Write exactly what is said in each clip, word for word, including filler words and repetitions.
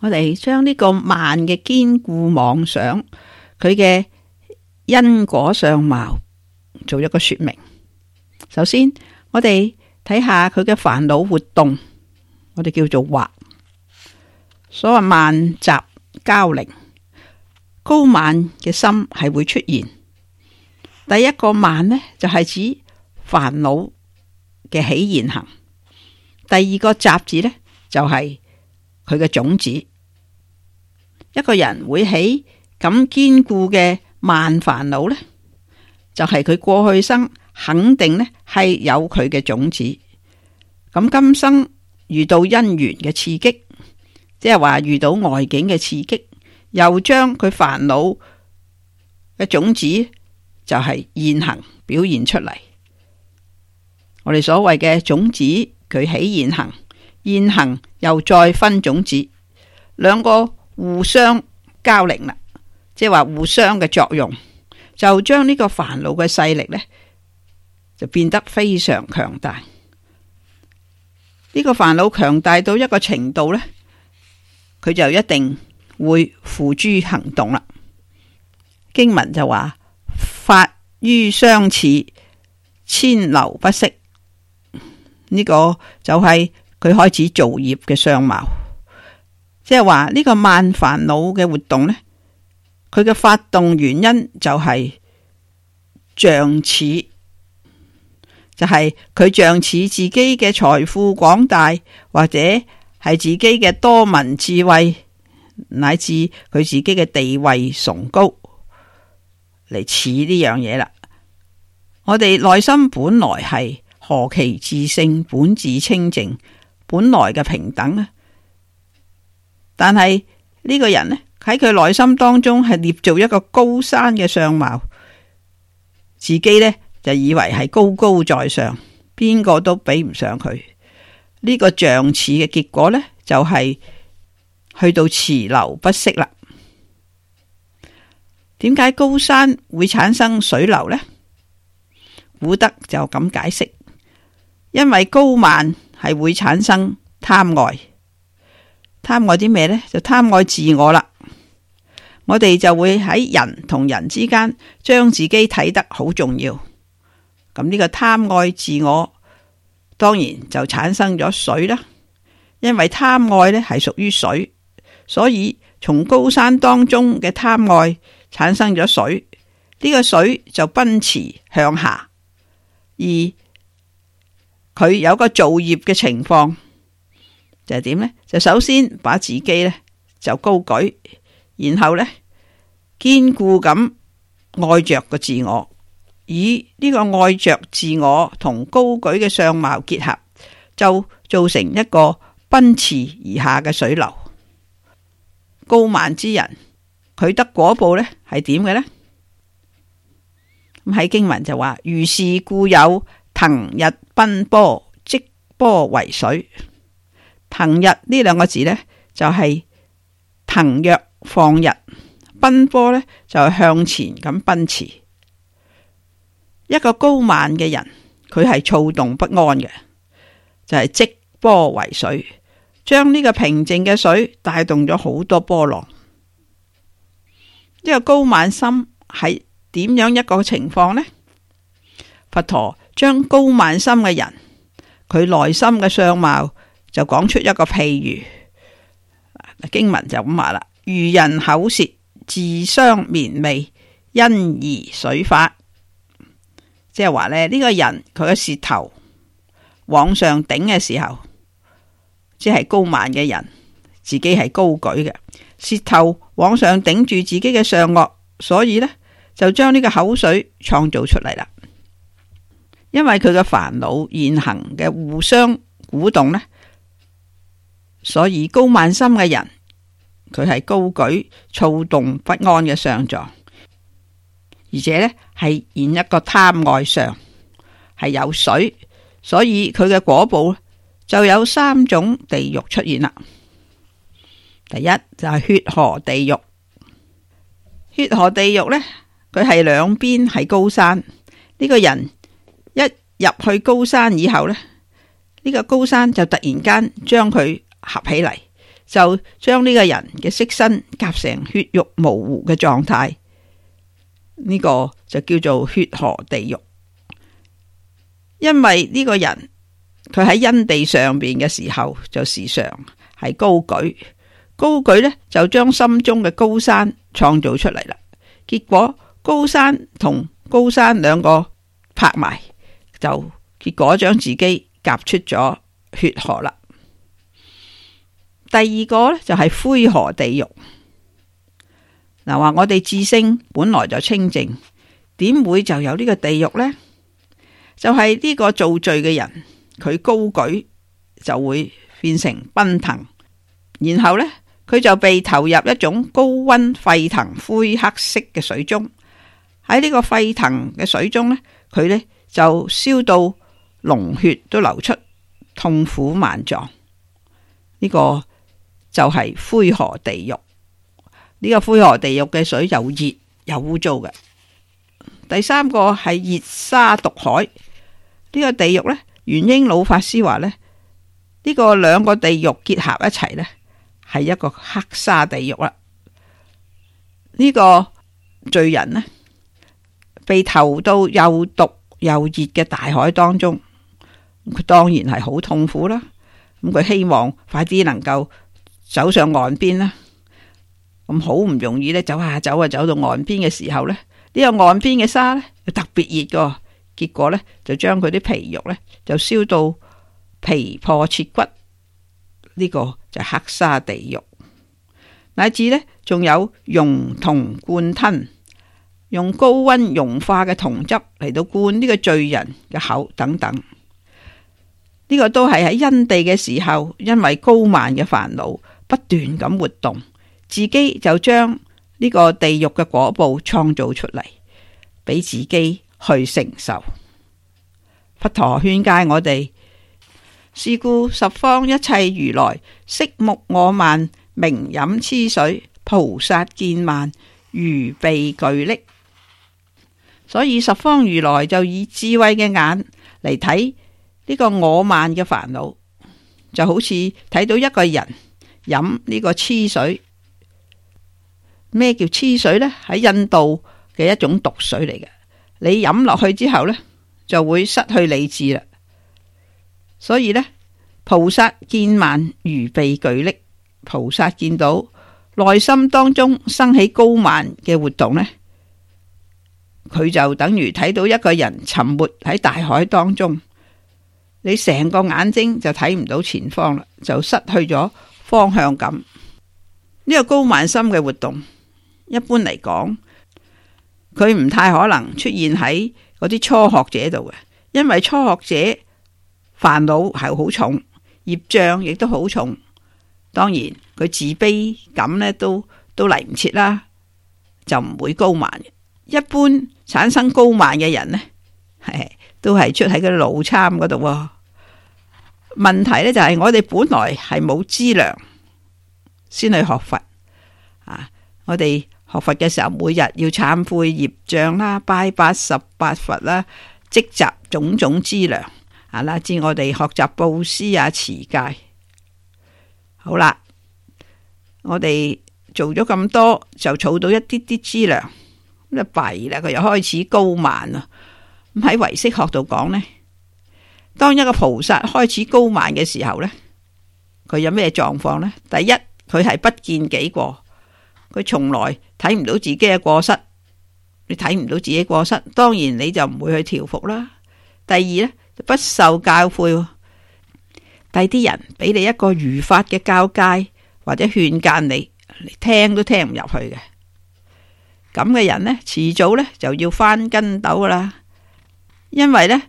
我哋將呢個慢嘅堅固妄想，佢嘅因果相貌做一個說明。首先，我哋睇下佢嘅煩惱活動，我哋叫做惑。所謂慢雜交零，高慢嘅心係會出現。第一個慢呢，就係指煩惱嘅起現行。第二個雜字呢，就係佢嘅種子。一個人會起咁堅固嘅慢煩惱呢，就係佢過去生肯定呢係有佢嘅種子。咁今生遇到因緣嘅刺激，即係話遇到外境嘅刺激，又將佢煩惱嘅種子就係現行表現出嚟。我哋所謂嘅種子，佢起現行，現行又再分種子，兩個互相交零啦，即係話互相嘅作用，就將呢個煩惱嘅勢力呢，就變得非常強大。呢個煩惱強大到一個程度呢，佢就一定會付諸行動啦。經文就話：法於相似，遷流不息。呢個就係佢開始造業嘅相貌，即係話呢個慢煩惱嘅活動呢，佢嘅發動原因就係仗似，就係佢仗似自己嘅財富廣大，或者係自己嘅多聞智慧，乃至佢自己嘅地位崇高嚟似呢樣嘢啦。我哋內心本來係何其自性，本自清淨，本來嘅平等呢？但係呢個人呢，喺佢內心當中係捏造一個高山嘅相貌，自己呢就以為係高高在上，邊個都比唔上佢。呢、這個像似嘅結果呢，就係、是、去到池流不息啦。點解高山會產生水流呢？古德就咁解釋。因為高慢係會產生貪愛，貪愛啲咩呢？就貪愛自我啦。我哋就會喺人同人之間將自己睇得好重要。咁呢個貪愛自我，當然就產生咗水啦。因為貪愛呢係屬於水，所以從高山當中嘅貪愛產生咗水，呢個水就奔馳向下，而佢有個造業嘅情況，就係點呢？就首先把自己呢就高舉，然後呢堅固咁愛着個自我，以呢個愛着自我同高舉嘅相貌結合，就造成一個奔馳而下嘅水流。高慢之人，佢得果報呢係點嘅呢？咁喺經文就話：如是故有騰日奔波，積波為水。騰日呢兩個字呢，就係、是、騰躍放日，奔波呢，就係向前咁奔馳。一個高慢嘅人，佢係躁動不安嘅，就係、是、積波為水，將呢個平靜嘅水帶動咗好多波浪。呢、這個高慢心係點樣一個情況呢？佛陀將高慢心嘅人，佢內心嘅相貌就講出一個譬喻。經文就咁話啦：如人口舌自相綿味，因而水發。即係話咧，呢、這個人佢嘅舌頭往上頂嘅時候，即係高慢嘅人，自己係高舉嘅，舌頭往上頂住自己嘅上顎，所以呢，就將呢個口水創造出嚟啦。因為佢嘅煩惱現行嘅互相鼓動呢，所以高慢心嘅人，佢係高舉躁動不安嘅相狀，而且呢係現一個貪愛相，係有水，所以佢嘅果報就有三種地獄出現啦。第一就係血河地獄。血河地獄呢，佢係兩邊係高山，呢、這個人一入去高山以後呢，呢、這個高山就突然間將佢合起嚟，就將呢個人嘅色身夾成血肉模糊嘅狀態，呢個就叫做血河地獄。因為呢個人佢喺因地上邊嘅時候就時常係高舉，高舉呢就將心中嘅高山創造出嚟啦。結果高山同高山兩個拍埋，就結果將自己夾出咗血河啦。第二個呢，就係灰河地獄。嗱，話我哋自性本來就清淨，點會就有呢個地獄呢？就係呢個造罪嘅人，佢高舉就會變成奔騰，然後呢，佢就被投入一種高溫沸騰灰黑色嘅水中。喺呢個沸騰嘅水中呢，佢呢就燒到膿血都流出，痛苦萬狀。呢個就係灰河地獄。呢個灰河地獄嘅水又熱又污糟嘅。第三個係熱沙毒海。呢個地獄呢，元英老法師話呢，呢個兩個地獄結合一齊呢，係一個黑沙地獄啦。呢個罪人呢，被投到又毒又熱嘅大海當中，佢當然係好痛苦啦。咁佢希望快啲能夠走上岸邊啦。咁好唔容易呢，走下走啊，走到岸邊嘅時候呢，呢個岸邊嘅沙呢，特別熱噶。結果呢，就將佢啲皮肉呢，就燒到皮破切骨，呢、這個就黑沙地獄。乃至呢，仲有熔銅灌吞，用高溫溶化嘅銅汁嚟到灌呢個罪人嘅口等等。呢、這個都係喺因地嘅時候，因為高慢嘅煩惱不斷咁活動，自己就將呢個地獄嘅果報創造出嚟，俾自己去承受。佛陀勸誡我哋，是故十方一切如來色目我慢，明飲痴水，菩薩見慢，如被巨礫。所以十方如來就以智慧嘅眼嚟睇呢個我慢嘅煩惱，就好似睇到一個人飲呢個痴水。咩叫痴水呢？喺印度嘅一種毒水嚟嘅。你飲落去之後呢，就會失去理智啦。所以呢，菩薩見慢如被巨礫，菩薩見到內心當中生起高慢嘅活動呢，佢就等於睇到一個人沉沒喺大海當中，你成個眼睛就睇唔到前方啦，就失去咗方向感。呢個高慢心嘅活動，一般嚟講，佢唔太可能出現喺嗰啲初學者度嘅，因為初學者煩惱係好重，業障亦都好重。當然佢自卑感呢都都嚟唔切啦，就唔會高慢嘅。一般產生高慢嘅人呢，係都係出喺嗰啲腦參嗰度。問題呢就係我哋本來係冇資糧先去學佛啊！我哋學佛嘅時候，每日要懺悔業障啦，拜八十八佛啦，積集種種資糧啊，乃至我哋學習布施啊、持戒。好啦，我哋做咗咁多，就儲到一啲啲資糧，咁就弊啦，佢又開始高慢啊！咁喺唯識學度講呢，當一個菩薩開始高慢嘅時候呢，佢有咩狀況呢？第一，佢係不見己過，佢從來睇唔到自己嘅過失。你睇唔到自己過失，當然你就唔會去調伏啦。第二呢，不受教誨。第啲人俾你一個如法嘅教誡或者勸諫你，你聽都聽唔入去嘅。咁嘅人呢，遲早呢就要翻跟斗噶啦。因為呢，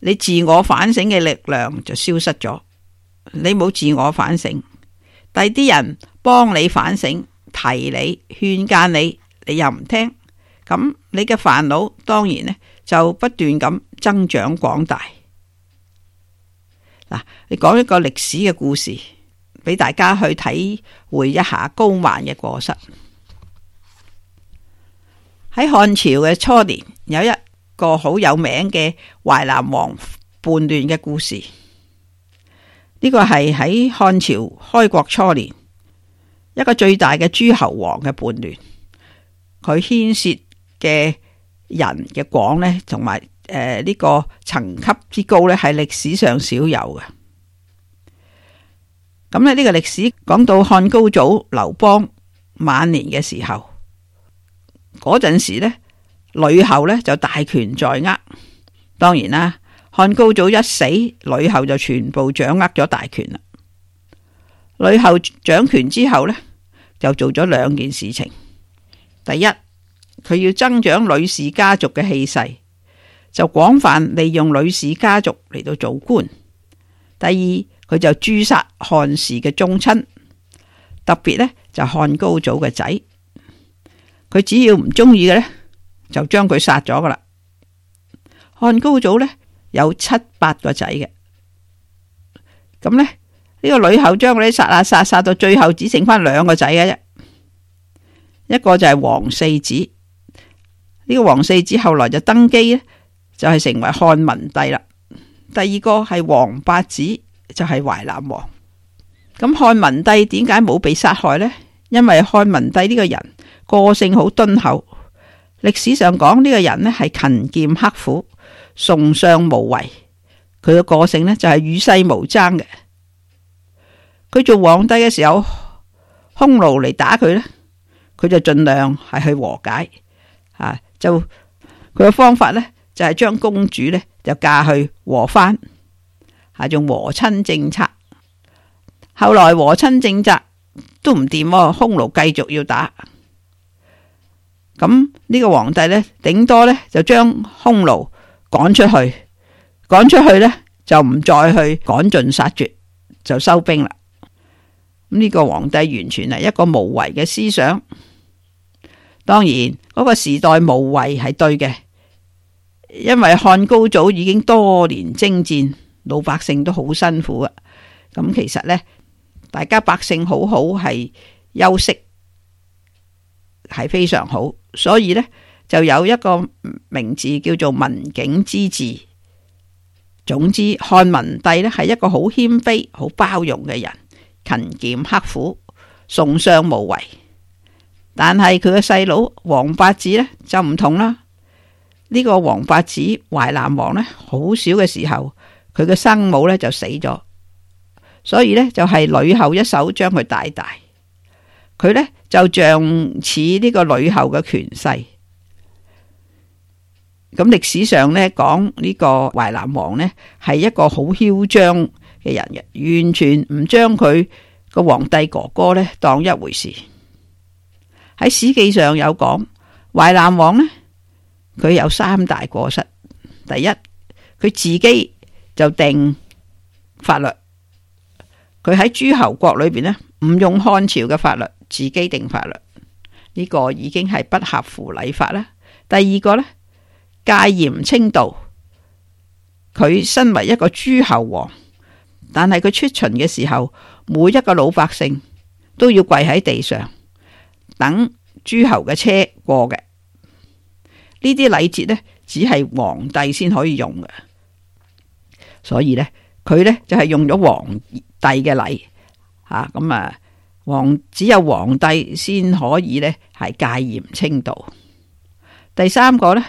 你自我反省嘅力量就消失咗，你冇自我反省，第啲人幫你反省，提你勸諫你，你又唔聽，咁你嘅煩惱當然呢就不斷咁增長廣大。嗱，你講一個歷史嘅故事俾大家去體會一下高慢嘅過失。喺漢朝嘅初年，有一個好有名嘅淮南王叛亂嘅故事。呢、呢個係喺漢朝開國初年一個最大嘅諸侯王嘅叛亂，佢牽涉嘅人嘅廣呢，同埋誒呢個層級之高呢，係歷史上少有嘅。咁咧呢個歷史講到漢高祖劉邦晚年嘅時候，嗰陣時呢，呂后呢就大權在握。當然啦，漢高祖一死，呂后就全部掌握咗大權啦。呂后掌權之後呢，就做咗兩件事情。第一，佢要增長呂氏家族嘅氣勢，就廣泛利用呂氏家族嚟到做官。第二，佢就誅殺漢氏嘅宗親，特別呢就漢高祖嘅仔。佢只要唔中意嘅呢，就將佢殺咗噶啦。漢高祖呢有七八個仔嘅，咁呢，呢個呂后將嗰啲殺啊殺殺到最後只剩翻兩個仔嘅啫，一個就係王四子。呢個王四子後來就登基呢，就係成為漢文帝啦。第二個係王八子，就係淮南王。咁漢文帝點解冇被殺害呢？因為漢文帝呢個人個性好敦厚，歷史上講呢個人呢係勤儉刻苦、崇尚無為。佢嘅個性呢就係與世無爭嘅。佢做皇帝嘅時候，匈奴嚟打佢呢，佢就盡量係去和解啊。就佢嘅方法呢，就係將公主呢就嫁去和番，係用和親政策。後來和親政策都唔掂，匈奴繼續要打。咁呢個皇帝呢，頂多呢就將匈奴趕出去，趕出去呢就唔再去趕盡殺絕，就收兵啦。咁呢個皇帝完全係一個無為嘅思想。當然嗰個時代無為係對嘅，因為漢高祖已經多年征戰，老百姓都好辛苦啊。咁其實呢，大家百姓好好係休息係非常好，所以呢，就有一個名字叫做文景之治。總之，漢文帝呢係一個好謙卑、好包容嘅人，勤儉刻苦、崇尚無為。但係佢嘅細佬王八子呢就唔同啦。呢個王八子淮南王呢，好小嘅時候，佢嘅生母呢就死咗，所以呢，就係呂后一手將佢帶大。佢呢就像似呢個呂后嘅權勢。咁歷史上呢講呢個淮南王呢係一個好囂張嘅人嘅，完全唔將佢個皇帝哥哥呢當一回事。喺史記上有講，淮南王呢，佢有三大過失。第一，佢自己就定法律，佢喺諸侯國裏邊呢，唔用漢朝嘅法律，自己定法律，呢個已經係不合乎禮法啦。第二個呢，戒嚴清道，佢身為一個諸侯王，但係佢出巡嘅時候，每一個老百姓都要跪喺地上等諸侯嘅車過嘅。呢啲禮節呢，只係皇帝先可以用嘅，所以呢，佢呢就係用咗皇帝嘅禮吓，咁啊，皇只有皇帝先可以呢係戒嚴清道。第三個呢，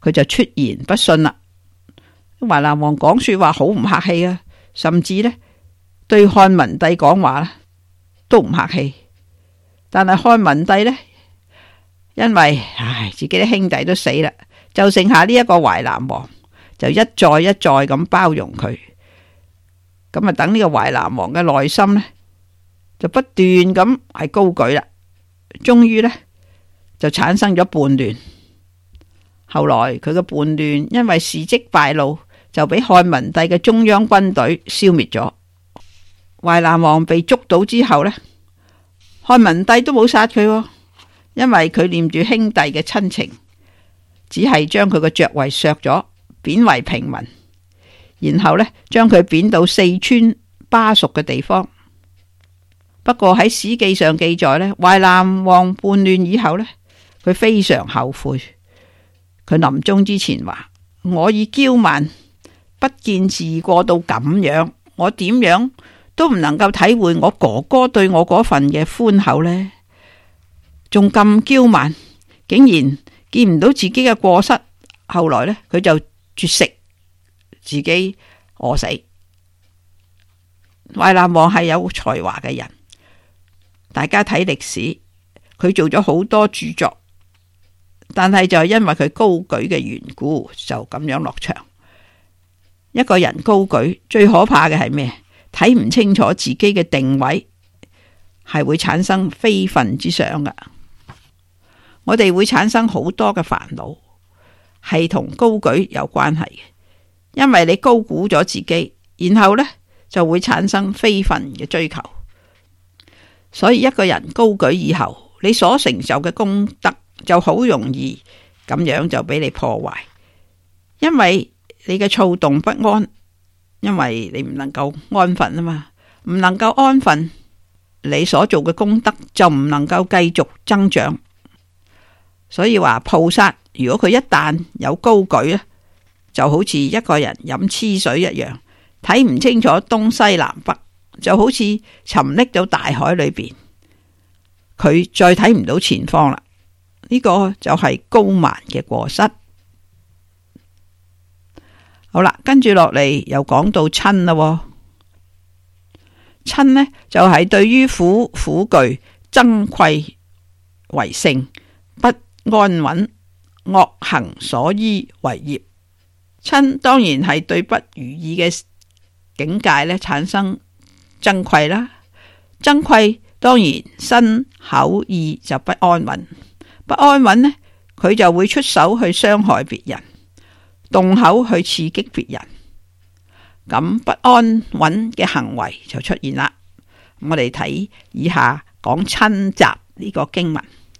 佢就出言不遜啦。淮南王講說話好唔客氣啊，甚至呢對漢文帝講話都唔客氣。但係漢文帝呢，因為唉自己啲兄弟都死啦，就剩下呢一個淮南王，就一再一再咁包容佢。咁啊，等呢個淮南王嘅內心呢，就不斷咁係高舉啦。終於呢，就產生咗叛亂。後來佢嘅叛亂因為事跡敗露，就俾漢文帝嘅中央軍隊消滅咗。淮南王被捉到之後呢，漢文帝都冇殺佢，因為佢念住兄弟嘅親情，只係將佢嘅爵位削咗，貶為平民，然後呢，將佢貶到四川巴蜀嘅地方。不過喺史記上記載呢，淮南王叛亂以後呢，佢非常後悔。佢臨終之前話：我已驕慢，不見自過到咁樣，我點樣都唔能夠體會我哥哥對我嗰份嘅寬厚呢，仲咁驕慢，竟然見唔到自己嘅過失，後來呢，佢就絕食，自己餓死。淮南王係有才華嘅人，大家睇歷史，佢做咗好多著作，但係就因為佢高舉嘅緣故，就咁樣落場。一個人高舉，最可怕嘅係咩？睇唔清楚自己嘅定位，係會產生非分之想噶。我哋會產生好多嘅煩惱，係同高舉有關係嘅。因為你高估咗自己，然後呢就會產生非分嘅追求。所以一個人高舉以後，你所成就嘅功德就好容易咁樣就俾你破壞，因為你嘅躁動不安，因為你唔能夠安分啊嘛，唔能夠安分，你所做嘅功德就唔能夠繼續增長。所以話菩薩如果佢一旦有高舉咧，就好似一個人飲黐水一樣，睇唔清楚東西南北，就好似沉溺到大海裏邊，佢再睇唔到前方啦。呢個就係高慢嘅過失。好啦，跟住落嚟又講到瞋啦。瞋呢就係、是、對於苦苦具憎愧為性，不安穩，惡行所依為業。瞋當然係對不如意嘅境界咧產生憎愧啦。憎愧當然身口意就不安穩，不安穩呢，佢就會出手去傷害別人，動口去刺激別人，咁不安穩嘅行為就出現啦。我哋睇以下講瞋集呢個經文。